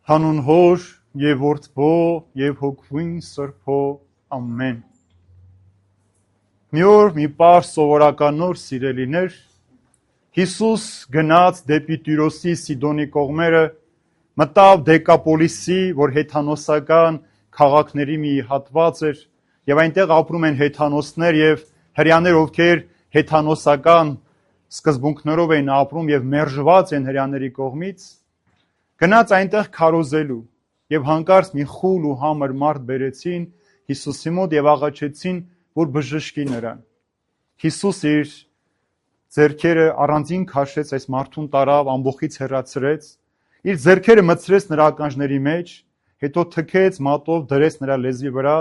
Հանուն Հոր եւ Որդու եւ Հոգվին Սրբո ամեն։ Մի օր մի պար սովորական նոր սիրելիներ Հիսուս գնաց դեպի Տիրոսի Սիդոնի կողմերը, մտավ Դեկապոլիսի, որ հեթանոսական քաղաքների մի հատված էր, եւ այնտեղ ապրում են հեթանոսներ եւ հрьяաներ, ովքեր հեթանոսական սկզբունքներով են ապրում եւ մերժված են հрьяաների կողմից։ Գնաց այնտեղ քարոզելու եւ հանկարծ մի խուլ ու համր մարդ բերեցին Հիսուսի մոտ եւ աղաչեցին, որ բժշկի նրան։ Հիսուս իր ձեռքերը առանձին քաշեց այս մարդուն տարավ, ամբողից հեռացրեց, իր ձեռքերը մտցրեց նրա ականջների մեջ, հետո թքեց մատով, դրեց նրա լեզվի վրա,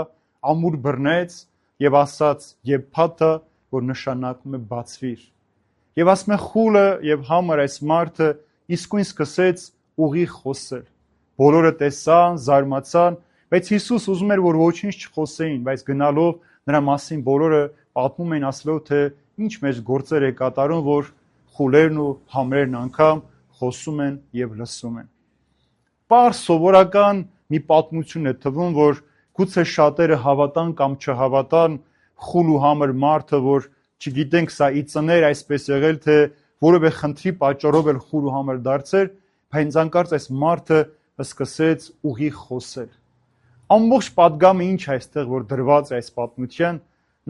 ամուր բռնեց եւ ասաց. «Եփաթա», որ նշանակում է բացվիր։ Եվ ասում է խուլը եւ համր այս մարդը իսկույն սկսեց ուղիղ խոսել։ Բոլորը տեսան, զարմացան, բայց Հիսուս ուզում էր, որ ոչինչ չխոսեին, բայց գնալով նրա մասին բոլորը պատմում էին, ասելով, թե ինչ մեծ գործեր է կատարում, որ խուլերն ու համրերն անգամ խոսում են եւ լսում են։ Պարզ սովորական մի պատմություն է թվում, որ գուցե շատերը հավատան կամ չհավատան, խուլ ու համր մարդը, որ չգիտենք սա իծներ այսպես եղել, թե որևէ խնդրի պատճառով էլ խուլ ու համր դարձել, բայց անկարծ այս մարդը սկսեց ուղիղ խոսել։ Ամբողջ պատգամը ինչ է այստեղ, որ դրված է այս պատմության,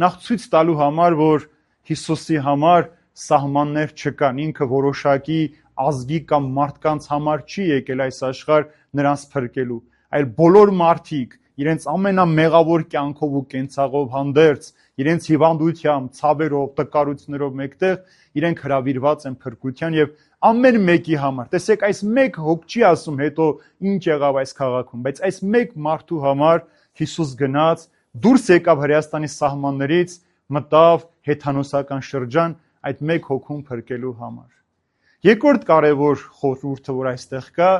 նախ ցույց տալու համար, որ Հիսուսի համար սահմաններ չկան, ինքը որոշակի ազգի կամ մարդկանց համար չի եկել այս աշխարհ նրանց փրկելու, այլ բոլոր մարդիկ իրենց ամենամեղավոր կյանքով ու կենցաղով հանդերձ, իրենց հիվանդությամբ, ցավերով, տկարություններով մեկտեղ իրենք հրավիրված են փրկության եւ ամեն մեկի համար։ Տեսեք, այս մեկ հոգ չի ասում հետո ինչ եղավ այս քաղաքում, բայց այս մեկ մարդու համար Հիսուս գնաց, դուրս եկավ Հրեաստանի սահմաններից, մտավ հեթանոսական շրջան այդ մեկ հոգուն փրկելու համար։ Երկրորդ կարևոր խորհուրդը, որ այստեղ կա,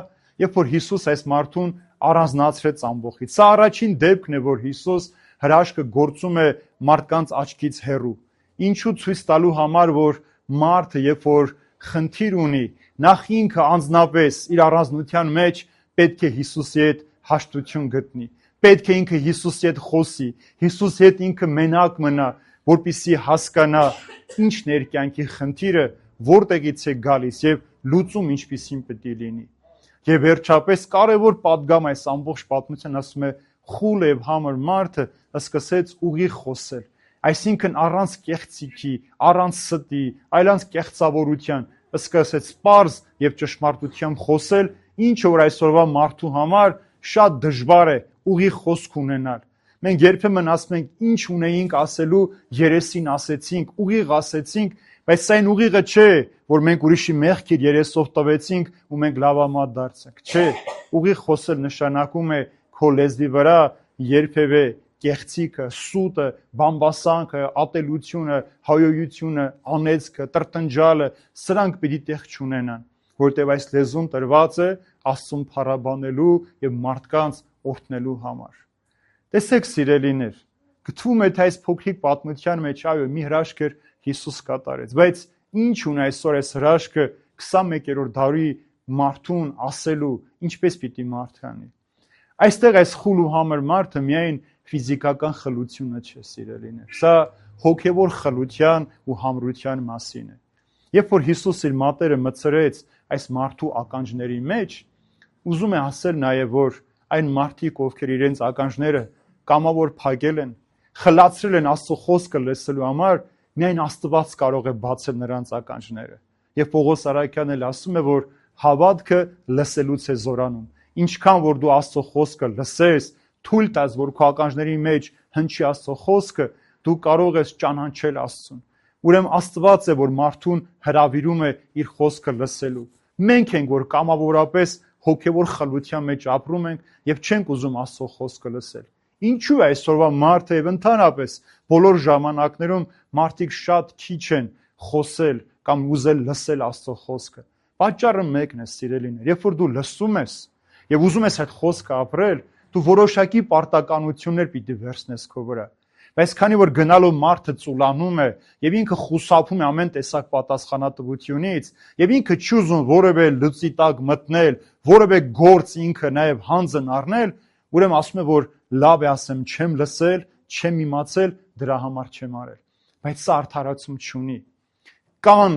երբ որ Հիսուս այս մարդուն առանձնացրեց ամբողջից։ Սա առաջին դեպքն է, որ Հիսուս հրաշքը գործում է մարդկանց աչքից հեռու։ Ինչու ցույց տալու համար, որ մարդը, երբ որ խնդիր ունի, նախ ինքը անձնապես իր առանձնության մեջ պետք է Հիսուսի հետ հաշտություն գտնի։ Պետք է ինքը Հիսուսի հետ խոսի, Հիսուսի հետ ինքը մենակ մնա, որպեսզի հասկանա ինչն է իր կյանքի խնդիրը, որտեղից է գալիս եւ լուծում ինչպիսին պետք է լինի։ Եվ վերջապես կարևոր պատգամ այս ամբողջ պատմության ասում է խուլ եւ համր մարդը սկսեց ուղիղ խոսել, այսինքն առանց կեղծիքի, առանց ստի, այլանց կեղծավորության սկսեց պարզ եւ ճշմարտությամբ խոսել, ինչը որ այսօրվա մարդու համար շատ դժվար է ուղիղ խոսք ունենալ։ Մենք երբեմն ասում ենք ինչ ունեինք ասելու, երեսին ասեցինք, ուղիղ ասեցինք, բայց սա այն ուղիղը չէ, որ մենք ուրիշի մեղքեր երեսով տվեցինք ու մենք լավամատ դարձանք։ Չէ, ուղիղ խոսել նշանակում է քո լեզվի վրա երբևէ կեղծիքը, սուտը, բամբասանքը, ատելությունը, հայոյությունը, անեծքը, տրտնջալը, սրանք պիտի տեղ չունենան, որտեղ այս լեզուն տրված է Աստծուն փառաբանելու եւ մարդկանց օրհնելու համար։ Տեսեք սիրելիներ, գտվում է թե այս փոքրիկ պատմության մեջ այո մի հրաշք էր Հիսուս կատարեց, բայց ինչ ունի այսօր այս հրաշքը 21-րդ դարի մարդուն ասելու, ինչպես պիտի մարդ անի։ Այստեղ այս խուլ ու համր մարդը միայն ֆիզիկական խլությունը չէ, սիրելիներ։ Սա հոգևոր խլության ու համրության մասին է։ Երբ որ Հիսուս իր մատերը մտցրեց այս մարդու ականջների մեջ, ուզում է ասել նաև, որ այն մարդիկ, ովքեր իրենց ականջները կամավոր փակել են, խլացրել են Աստծո խոսքը լսելու համար, միայն Աստված կարող է բացել նրանց ականջները։ Եվ Պողոս Արաքյանն էլ ասում է, որ հավատքը լսելուց է զորանում։ Ինչքան որ դու Աստծո խոսքը լսես, թույլ տաս, որ քո ականջների մեջ հնչի Աստծո խոսքը, դու կարող ես ճանաչել Աստծուն։ Ուրեմն Աստված է, որ մարդուն հրավիրում է իր խոսքը լսելու։ Մենք ենք, որ կամավորապես հոգևոր խլության մեջ ապրում ենք եւ չենք ուզում Աստծո խոսքը լսել։ Ինչու է այսօրվա մարդը եւ ընդհանրապես բոլոր ժամանակներում մարդիկ շատ քիչ են խոսել կամ ուզել լսել Աստծո խոսքը։ Պատճառը մեկն է, սիրելիներ, երբ որ դու լսում ես եւ ուզում ես այդ խոսքը ապրել, դու որոշակի պարտականություններ պիտի վերցնես քո վրա։ Բայց քանի որ գնալու մարդը ծուլանում է եւ ինքը խուսափում է ամեն տեսակ պատասխանատվությունից եւ ինքը չի ուզում որևէ լծի տակ մտնել, որևէ գործ ինքը նաեւ հանձն առնել, ուրեմն ասում է, որ լավ է ասեմ, չեմ լսել, չեմ իմացել, դրա համար չեմ արել։ Բայց սա արդարացում չունի։ Կան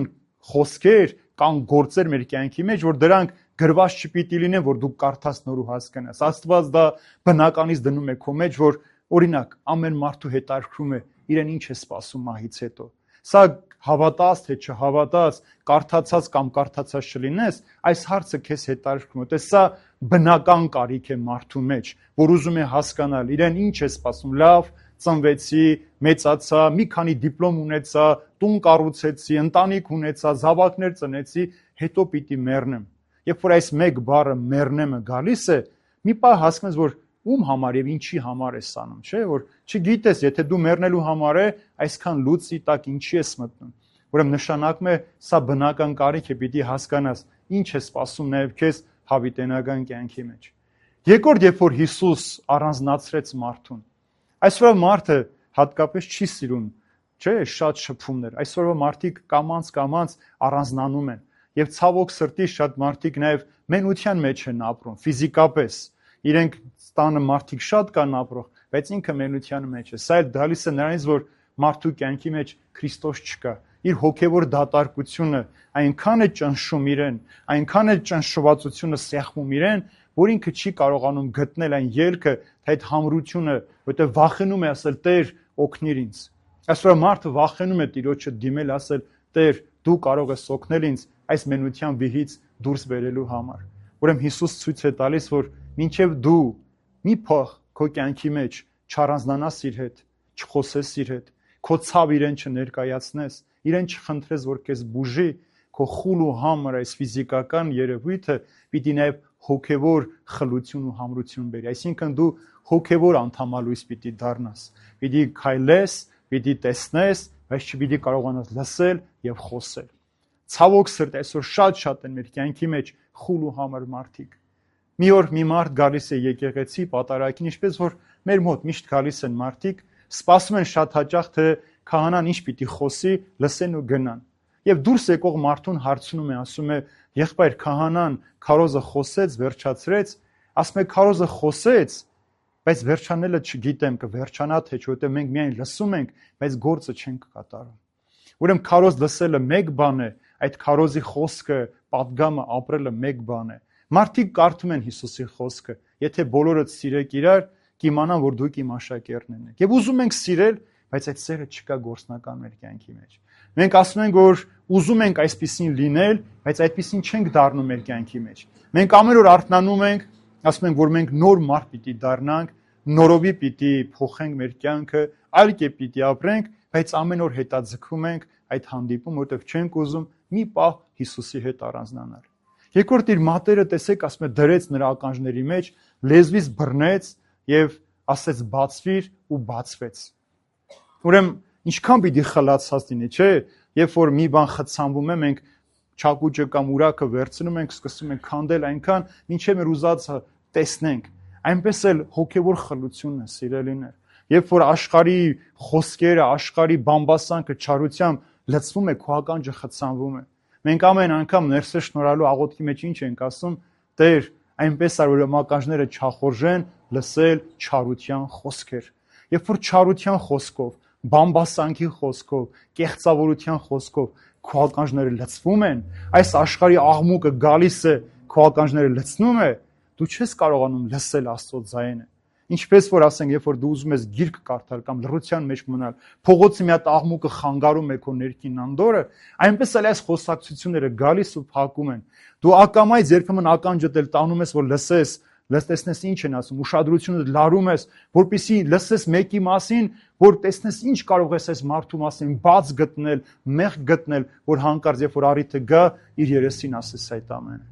խոսքեր, կան գործեր մեր կյանքի մեջ, որ դրանք գրված չպիտի լինեն, որ դու կարդաս նոր ու հասկանաս։ Աստված դա բնականից դնում է քո մեջ, որ օրինակ ամեն մարդու հետաքրքրում է իրեն ինչ է սպասում մահից հետո։ Սա հավատաս թե չհավատաս, կարդացած կամ կարդացած չլինես, այս հարցը քեզ հետաքրքրում է։ Սա բնական կարիք է մարդու մեջ, որ ուզում է հասկանալ իրեն ինչ է սպասում։ Լավ, ծնվեցի, մեծացա, մի քանի դիպլոմ ունեցա, տուն կառուցեցի, ընտանիք ունեցա, զավակներ ծնեցի, հետո պիտի մեռնեմ։ Երբ որ այս մեկ բառը մեռնեմը գալիս է, մի պահ հասկանում ես, որ ում համար եւ ինչի համար ես անում, չէ՞, որ չգիտես, եթե դու մեռնելու համար է, այսքան լուծի տակ ինչի ես մտնում։ Ուրեմն նշանակում է, սա բնական կարիք է, պիտի հասկանաս ինչ է սպասում նաեւ քեզ հավիտենական կյանքի մեջ։ Երկրորդ, երբ որ Հիսուս առանձնացրեց մարդուն, այսօրվա մարդը հատկապես չի սիրում, չէ՞, շատ շփումներ։ Այսօրվա մարդիկ կամած առանձնանում են եւ ցավոք սրտի շատ մարդիկ նաեւ մենության մեջ են ապրում, ֆիզիկապես։ Իրենք տանը մարդիկ շատ կան ապրող, բայց ինքը մենության մեջ է։ Սա էլ գալիս է նրանից, որ մարդու կյանքի մեջ Քրիստոս չկա։ Իր հոգևոր դատարկությունը այնքան է ճնշում իրեն, այնքան է ճնշվածությունը սեղմում իրեն, որ ինքը չի կարողանում գտնել այն ելքը, այդ համրությունը, որտեղ վախենում է ասել Տեր, օգնիր ինձ։ Այսօր մարդը վախենում է Տիրոջը դիմել, ասել Տեր, դու կարող ես օգնել ինձ այս մենության վիհից դուրս բերելու համար։ Ուրեմն Հիսուս ցույց է տալիս, որ մինչև դու մի փող քո կյանքի մեջ չառանձնանաս իր հետ, չխոսես իր հետ, քո ցավ իրեն չներկայացնես, իրեն չխնդրես, որ քեզ բուժի, քո խուլ ու համր այս ֆիզիկական երևույթը պիտի նաև հոգևոր խլություն ու համրություն բերի։ Այսինքն դու հոգևոր անդամալույս պիտի դառնաս, պիտի քայլես, պիտի տեսնես, բայց չպիտի կարողանաս լսել եւ խոսել։ Ցավոք սրտի այսօր շատ են մեր կյանքի մեջ խուլ ու համր մարդիկ։ Մի օր մի մարդ գալիս է եկեղեցի պատարագին, ինչպես որ մեր մոտ միշտ գալիս են մարդիկ, սպասում են շատ հաճախ թե քահանան ինչ պիտի խոսի, լսեն ու գնան։ Եվ դուրս եկող մարդուն հարցնում է, ասում է. «Եղբայր, քահանան քարոզը խոսեց, վերջացրեց», ասում է քարոզը խոսեց, բայց վերջանելը չգիտեմ, կվերջանա թե չէ, որտեղ մենք միայն լսում ենք, բայց գործը չենք կատարում։ Ուրեմն քարոզ լսելը մեկ բան է, այդ քարոզի խոսքը, պատգամը ապրելը մեկ բան է։ Մարդիկ կարդում են Հիսուսի խոսքը, եթե բոլորը սիրեք իրար, կիմանան, որ դուք իմ աշակերտներն եք։ Եվ ուզում ենք սիրել, բայց այդ սերը չկա գործնական մեր կյանքի մեջ։ Մենք ասում ենք, որ ուզում ենք այսպիսին լինել, բայց այդպիսին չենք դառնում մեր կյանքի մեջ։ Մենք ամեն օր արթնանում ենք, ասում ենք, որ մենք նոր մարդ պիտի դառնանք, նորովի պիտի փոխենք մեր կյանքը, այլ կերպ պիտի ապրենք, բայց ամեն օր հետաձգում ենք այդ հանդիպում, որտեղ չենք ուզում մի պահ Հիսուսի հետ առանձնանալ։ Երկրորդ իր մատերը տեսեք, ասում է, դրեց նրա ականջների մեջ, լեզվից բռնեց եւ ասեց բացվիր ու բացվեց։ Ուրեմն ինչքան պիտի խլացած լինի, չէ՞, երբ որ մի բան խցանվում է, մենք չակուճը կամ ուրակը վերցնում ենք, սկսում ենք քանդել այնքան, մինչև մեր ուզածը տեսնենք։ Այնպես էլ հոգևոր խլությունն է, սիրելիներ։ Երբ որ աշխարհի խոսքերը, աշխարհի բամբասանքը չարությամբ լցվում է, քո ականջը խցանվում է։ Մենք ամեն անգամ ներսը շնորհալու աղոթքի մեջ ինչ ենք ասում. Տեր, այնպես է, որ ականջները չախորժեն լսել չարության խոսքեր։ Երբ որ չարության խոսքով, բամբասանքի խոսքով, կեղծավորության խոսքով քո ականջները լցվում են, այս աշխարհի աղմուկը գալիս է, քո ականջները լցնում է, դու չես կարողանում լսել Աստծո ձայնը։ Ինչպես որ ասենք, երբ որ դու ուզում ես գիրք կարդալ կամ լռության մեջ մնալ, փողոցի մի հատ աղմուկը խանգարում է քո ներքին անդորը, այնպես էլ այս խոսակցությունները գալիս ու փակում են։ Դու ակամայից երբեմն ականջդ էլ տանում ես, որ լսես, տեսնես ինչ են ասում, ուշադրությունը լարում ես, որպեսզի լսես մեկի մասին, որ տեսնես ինչ կարող ես այս մարդու մասին բաց գտնել, մեղք գտնել, որ հանկարծ երբ որ առիթը գա, իր երեսին ասես այդ ամենը։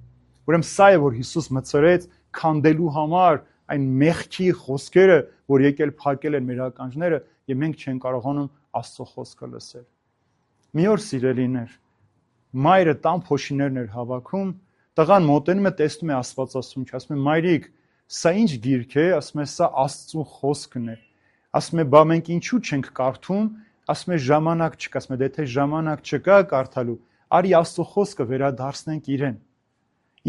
Ուրեմն սա է, որ Հիսուս մտցրեց քանդելու համար այն մեղքի խոսքերը, որ եկել փակել են մեր ականջները, եւ մենք չենք կարողանում Աստծո խոսքը լսել։ Մի օր սիրելիներ, մայրը տան փոշիներն էր հավաքում, տղան մոտենում է, տեսնում է Աստվածասունչ, ասում է՝ մայրիկ, սա ինչ գիրք է, ասում է՝ սա Աստծո խոսքն է։ Ասում է, բա մենք ինչու չենք կարդում, ասում է ժամանակ չկա, ասում է, եթե ժամանակ չկա կարդալու, արի Աստծո խոսքը վերադարձնենք իրեն։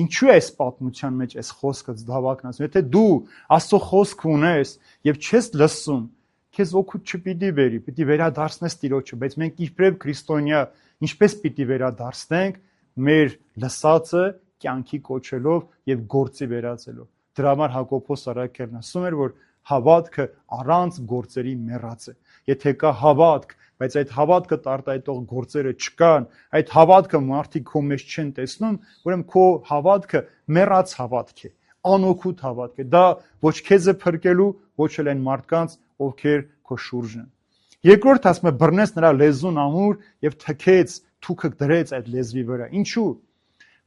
Ինչու է այս պատմության մեջ այս խոսքը դավակն ասում, եթե դու Աստծո խոսք ունես եւ չես լսում, քեզ օգուտ չպիտի բերի, պիտի վերադարձնես Տիրոջը, բայց մենք իբրև քրիստոնյա ինչպես պիտի վերադարձնենք մեր լսածը կյանքի կոչելով եւ գործի վերածելով։ Դրա համար Հակոբոս Արաքելն ասում էր, որ հավատքը առանց գործերի մեռած է։ Եթե կա հավատք, բայց այդ հավատքը տարտայտող գործերը չկան, այդ հավատքը մարդիկ քո մեջ չեն տեսնում, ուրեմն քո հավատքը մեռած հավատք է, անօգուտ հավատք է։ Դա ոչ քեզ է փրկելու, ոչ էլ այն մարդկանց, ովքեր քո շուրջն են։ Երկրորդ ասում է, բռնեց նրա լեզուն ամուր եւ թքեց, թուքը դրեց այդ լեզվի վրա։ Ինչու՞։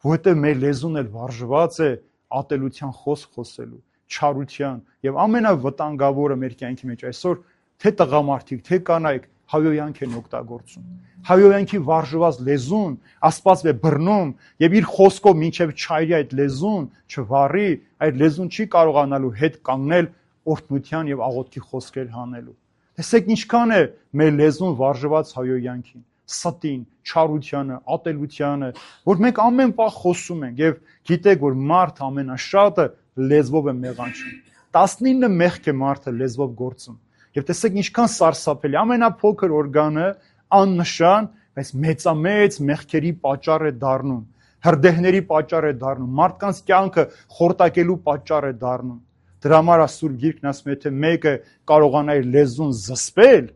Որովհետեւ մեր լեզուն էլ վարժված է ատելության խոսք խոսելու, չարության եւ ամենավտանգավորը մեր կյանքի մեջ այսօր թե տղամարդիկ, թե կանայք հայոյանք են օգտագործում։ Հայոյանքի վարժված լեզուն Աստված է բռնում եւ իր խոսքով մինչեւ չայրի այդ լեզուն չվառի, այդ լեզուն չի կարողանալու հետ կանգնել օրհնության եւ աղոթքի խոսքեր հանելու։ Տեսեք ինչքան է մեր լեզուն վարժված հայոյանքին, ստին, չարությանը, ատելությանը, որ մենք ամեն պահ խոսում ենք եւ գիտեք, որ մարդ ամենաշատը լեզվով է մեղանչում։ 19 մեղք է մարդը լեզվով գործում։ Եվ տեսեք ինչքան սարսափելի, ամենափոքր օրգանը աննշան, բայց մեծամեծ մեղքերի պատճառ է դառնում, հրդեհների պատճառ է դառնում, մարդկանց կյանքը խորտակելու պատճառ է դառնում։ Դրա համար Սուրբ Գիրքն ասում է, եթե մեկը կարողանա իր լեզուն զսպել,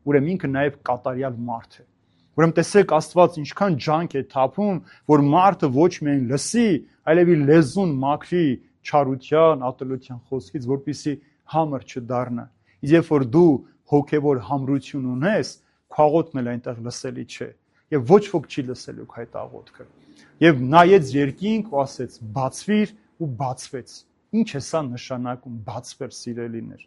ուրեմն ինքը նաև կատարյալ մարդ է։ Ուրեմն տեսեք Աստված ինչքան ջանք է թափում, որ մարդը ոչ միայն լսի, այլև իր լեզուն մաքրի չարության, ատելության խոսքից, որպեսզի համր չդառնա։ Իսկ երբ որ դու հոգևոր համրություն ունես, քո աղոթքն էլ այնտեղ լսելի չէ, եւ ոչ ոք չի լսելու քո այդ աղոթքը։ Եվ նայեց երկինք ու ասեց. բացվիր ու բացվեց։ Ինչ է սա նշանակում բացվել, սիրելիներ։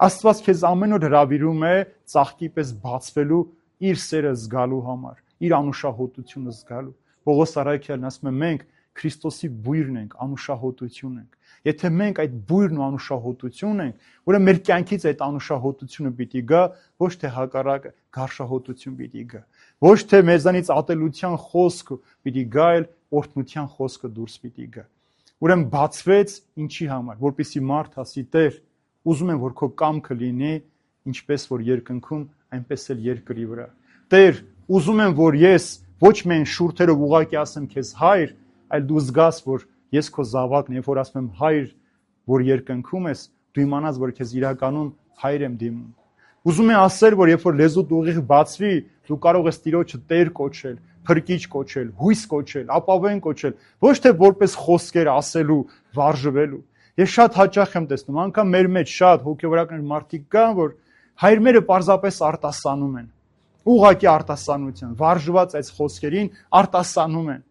Աստված քեզ ամեն օր հրավիրում է ծաղկի պես բացվելու իր սերը զգալու համար, իր անուշահոտությունը զգալու։ Պողոս Արաքյալն ասում է, մենք Քրիստոսի բույրն ենք, անուշահոտություն ենք։ Եթե մենք այդ բույրն ու անուշահոտություն ենք, ուրեմն մեր կյանքից այդ անուշահոտությունը պիտի գա, ոչ թե հակառակը, գարշահոտություն պիտի գա։ Ոչ թե մեզանից ատելության խոսքը պիտի գա, այլ օրհնության խոսքը դուրս պիտի գա։ Ուրեմն բացվեց ինչի համար, որպեսզի մարդ ասի. Տեր, ուզում եմ, որ քո կամքը լինի, ինչպես որ երկնքում, այնպես էլ երկրի վրա։ Տեր, ուզում եմ, որ ես ոչ միայն շուրթերով ուղղակի ասեմ քեզ հայր, այլ դու զգաս, որ ես քո զավակն եմ, որ ասում եմ հայր, որ երկնքում ես, դու իմանաս, որ քեզ իրականում հայր եմ դիմում։ Ուզում եմ ասել, որ երբ որ լեզուդ ուղիղ բացվի, դու կարող ես Տիրոջը Տեր կոչել, Փրկիչ կոչել, հույս կոչել, ապավեն կոչել, ոչ թե որպես խոսքեր ասելու, վարժվելու։ Ես շատ հաճախ եմ տեսնում, անգամ մեր մեջ շատ հոգևորական մարդիկ կան, որ հայրմերը պարզապես արտասանում են, ուղղակի արտասանության, վարժված այս խոսքերին արտասանում են։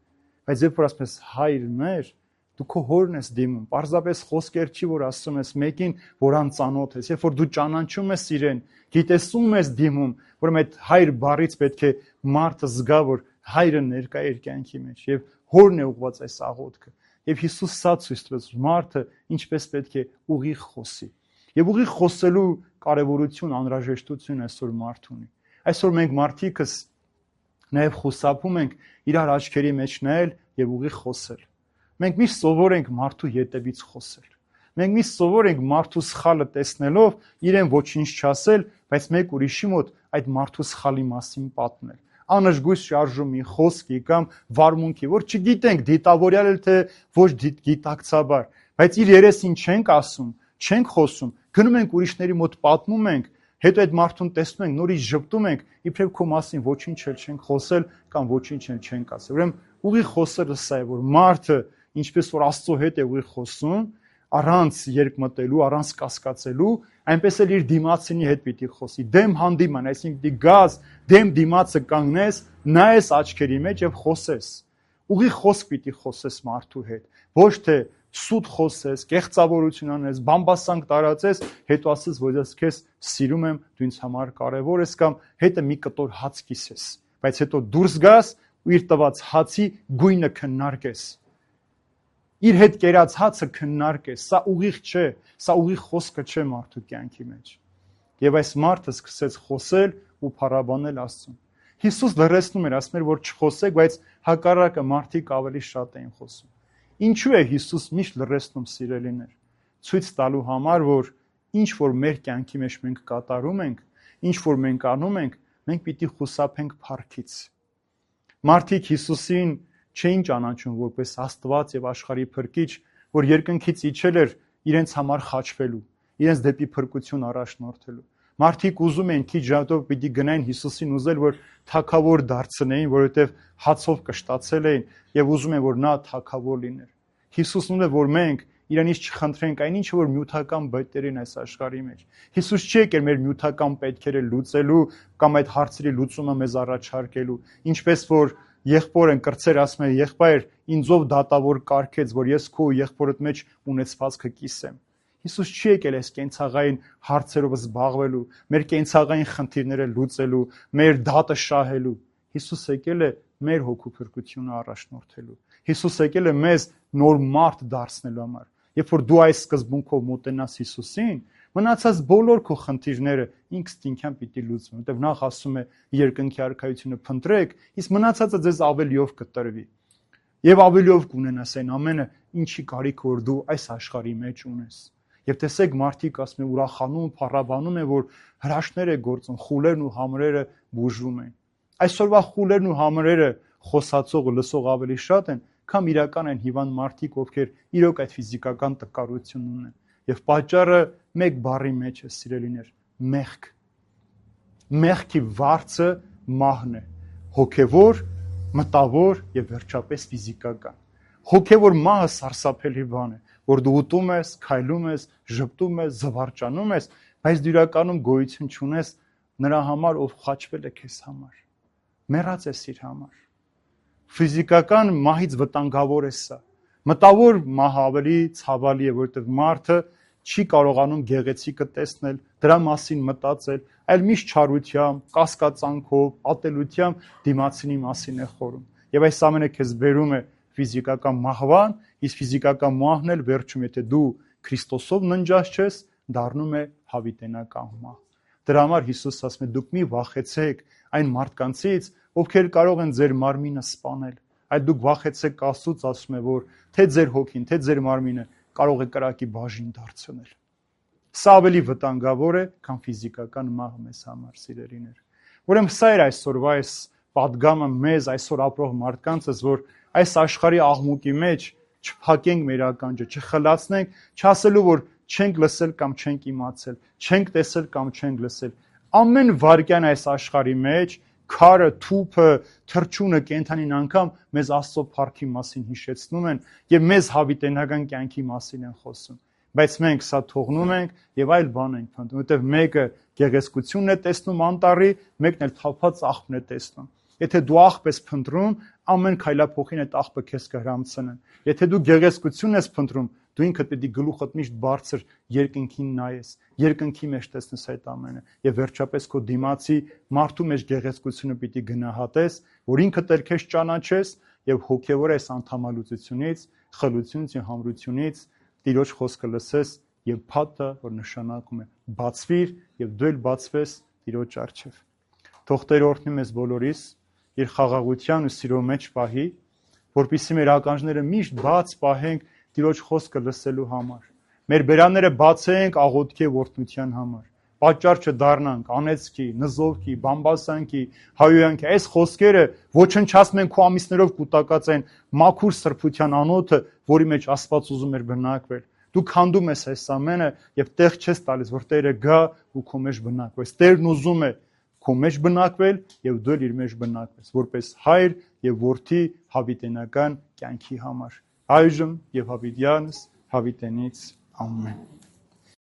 Բայց երբ որ ասում ես հայր մեր, դու քո հորն ես դիմում, պարզապես խոսքեր չի, որ ասում ես մեկին, որ անծանոթ ես, երբ որ դու ճանաչում ես իրեն, գիտեսում ես դիմում, որ այդ հայր բառից պետք է մարդը զգա, որ հայրը ներկա է իր կյանքի մեջ եւ հորն է ուղված այս աղոթքը։ Եվ Հիսուս սա ցույց տվեց մարդը ինչպես պետք է ուղիղ խոսի։ Եվ ուղիղ խոսելու կարևորություն, անհրաժեշտություն այսօր մարդ ունի։ Այսօր մենք մարդիկս նաև խուսափում ենք իրար աչքերի մեջ նայել եւ ուղիղ խոսել։ Մենք միշտ սովոր ենք մարդու ետևից խոսել։ Մենք միշտ սովոր ենք մարդու սխալը տեսնելով իրեն ոչինչ չասել, բայց մեկ ուրիշի մոտ այդ մարդու սխալի մասին պատմել։ Անըշգույս շարժում մի խոսքի կամ վարմունքի, որ չգիտենք դիտավորյալ էլ թե ոչ գիտակցաբար, բայց իր երեսին չենք ասում, չենք խոսում, գնում ենք ուրիշների մոտ պատմում ենք, հետո այդ մարդուն տեսնում ենք, նորից ժպտում ենք, իբրև քո մասին ոչինչ էլ չենք խոսել կամ ոչինչ էլ չենք ասել։ Ուրեմն ուղիղ խոսելը սա է, որ մարդը ինչպես որ Աստծո հետ է ուղիղ խոսում, առանց երկմտելու, առանց կասկածելու, այնպես էլ իր դիմացինի հետ պիտի խոսի։ Դեմ հանդիման, այսինքն պիտի գաս, դեմ դիմացը կանգնես, նայես աչքերի մեջ եւ խոսես։ Ուղիղ խոսք պիտի խոսես մարդու հետ, ոչ թե սուտ խոսես, կեղծավորություն անես, բամբասանք տարածես, հետո ասես, որ ես քեզ սիրում եմ, դու ինձ համար կարևոր ես կամ հետը մի կտոր հաց կիսես, բայց հետո դուրս գաս ու իր տված հացի գույնը քննարկես։ Իր հետ կերած հացը քննարկես, սա ուղիղ չէ, սա ուղիղ խոսքը չէ մարդու կյանքի մեջ։ Եվ այս մարդը սկսեց խոսել ու փառաբանել Աստծուն։ Հիսուս լռեցնում էր, ասում էր, որ չխոսեք, բայց հակառակը մարդիկ ավելի շատ էին խոսում։ Ինչու է Հիսուս միշտ լռեցնում, սիրելիներ։ Ցույց տալու համար, որ ինչ որ մեր կյանքի մեջ մենք կատարում ենք, ինչ որ մենք անում ենք, մենք պիտի խուսափենք փառքից։ Մարդիկ Հիսուսին չէին ճանաչում որպես Աստված եւ աշխարհի փրկիչ, որ երկնքից իջել էր իրենց համար խաչվելու, իրենց դեպի փրկություն առաջնորդելու։ Մարդիկ ուզում էին քիչ ժամանակ պիտի գնային Հիսուսին ուզել, որ թագավոր դարձնեին, որովհետև հացով կշտացել էին եւ ուզում են, որ նա թագավոր լիներ։ Հիսուսն ուներ, որ մենք Իրանից չխնդրենք այն ինչը որ նյութական բետերին այս աշխարհի մեջ։ Հիսուս չի եկել մեր նյութական պետքերը լուծելու կամ այդ հարցերի լուծումը մեզ առաջարկելու, ինչպես որ եղբորն կրծեր ասում է եղբայր ինձով դատավոր կարգեց, որ ես քո եղբորդ մեջ ունեցվածքը կիսեմ։ Հիսուս չի եկել այս կենցաղային հարցերով զբաղվելու, մեր կենցաղային խնդիրները լուծելու, մեր դատը շահելու։ Հիսուս եկել է մեր հոգու փրկությունը առաջնորդելու։ Հիսուս եկել է մեզ նոր մարդ դարձնելու համար։ Երբ որ դու այս սկզբունքով մոտենաս Հիսուսին, մնացած բոլոր քո խնդիրները ինքստինքյան պիտի լուծվեն, որտեղ նախ ասում է երկնքի արքայությունը փնտրեք, իսկ մնացածը ձեզ ավելիով կտրվի։ Եվ ավելիով կունենաս այն ամենը, ինչի կարիք որ դու այս աշխարհի մեջ ունես։ Եվ տեսեք մարդիկ ասում են ուրախանում, փառաբանում են, որ հրաշքներ է գործում, խուլերն ու համրերը բուժվում են։ Այսօրվա խուլերն ու համրերը խոսացող ու լսող ավելի շատ են, քան իրական են հիվանդ մարդիկ, ովքեր իրոք այդ ֆիզիկական տկարությունն ունեն։ Եվ պատճառը մեկ բառի մեջ է, սիրելիներ, մեղք։ Մեղքի վարձը մահն է, հոգևոր, մտավոր եւ վերջապես ֆիզիկական։ Հոգևոր մահը սարսափելի բան է, որ դու ուտում ես, քայլում ես, ժպտում ես, զվարճանում ես, բայց դու իրականում գոյություն չունես նրա համար, ով խաչվել է քեզ համար։ Մեռած ես իր համար։ Ֆիզիկական մահից վտանգավոր է սա։ Մտավոր մահը ավելի ցավալի է, որովհետև մարդը չի կարողանում գեղեցիկը տեսնել, դրա մասին մտածել, այլ միշտ չարությամբ, կասկածանքով, ատելությամբ դիմացինի մասին է խորում։ Եվ այս ամենը քեզ բերում է ֆիզիկական մահվան, իսկ ֆիզիկական մահն էլ վերջում, եթե դու Քրիստոսով ննջած չես, դառնում է հավիտենական մահ։ Դրա համար Հիսուս ասում է՝ դուք մի վախեցեք այն մարդկանցից, ովքեր կարող են ձեր մարմինը սպանել, այլ դուք վախեցեք Աստծուց, ասում է, որ թե ձեր հոգին, թե ձեր մարմինը կարող է կրակի բաժին դարձնել։ Սա ավելի վտանգավոր է, քան ֆիզիկական մահը մեզ համար, սիրելիներ։ Ուրեմն սա էր այսօրվա այս պատգամը մեզ այսօր ապրող մարդկանցս, որ այս աշխարհի աղմուկի մեջ չփակենք մեր ականջը, չխլացնենք, չասելու, որ չենք լսել կամ չենք իմացել, չենք տեսել կամ չենք լսել։ Ամեն վայրկյան այս աշխարհի մեջ քարը, թուփը, թրջունը, կենդանին անգամ մեզ Աստծո փառքի մասին հիշեցնում են եւ մեզ հավիտենական կյանքի մասին են խոսում։ Բայց մենք սա թողնում ենք եւ այլ բան ենք փնտրում, որովհետեւ մեկը գեղեցկությունն է տեսնում անտառի, մեկն էլ թափած աղբն է տեսնում։ Եթե դու աղբ ես փնտրում, ամեն քայլափոխին այդ աղբը քեզ կհրամցնեն։ Եթե դու գեղեցկություն ես փնտրում, դու ինքդ պետք է գլուխդ միշտ բարձր երկնքին նայես, երկնքի մեջ տեսնես այդ ամենը եւ վերջապես քո դիմացի մարդու մեջ գեղեցկությունը պիտի գնահատես, որ ինքդ էլ քեզ ճանաչես եւ հոգեվոր այս անդամալուծությունից, խլությունից եւ համրությունից Տիրոջ խոսքը լսես եւ փաթը, որ նշանակում է բացվիր եւ դու էլ բացվես Տիրոջ առջեւ։ Թող Տերը օրհնի մեզ բոլորիս իր խաղաղության ու սիրո մեջ պահի, որպեսզի մեր ականջները միշտ բաց պահենք Տիրոջ խոսքը լսելու համար։ Մեր բերանները բացենք աղոթքի եւ օրհնության համար։ Պատճառ չդառնանք անեծքի, նզովքի, բամբասանքի, հայոյանքի։ Այս խոսքերը ոչնչացնում են քո ամիսներով կուտակած այն մաքուր սրբության անոթը, որի մեջ Աստված ուզում էր բնակվել։ Դու քանդում ես այս ամենը եւ տեղ չես տալիս, որ Տերը գա ու քո մեջ բնակվես։ Տերն ուզում է քո մեջ բնակվել եւ դու էլ իր մեջ բնակվես, որպես հայր եւ որդի հավիտենական կյանքի համար։ Այժմ եւ հավիտյանս հավիտենից ամեն։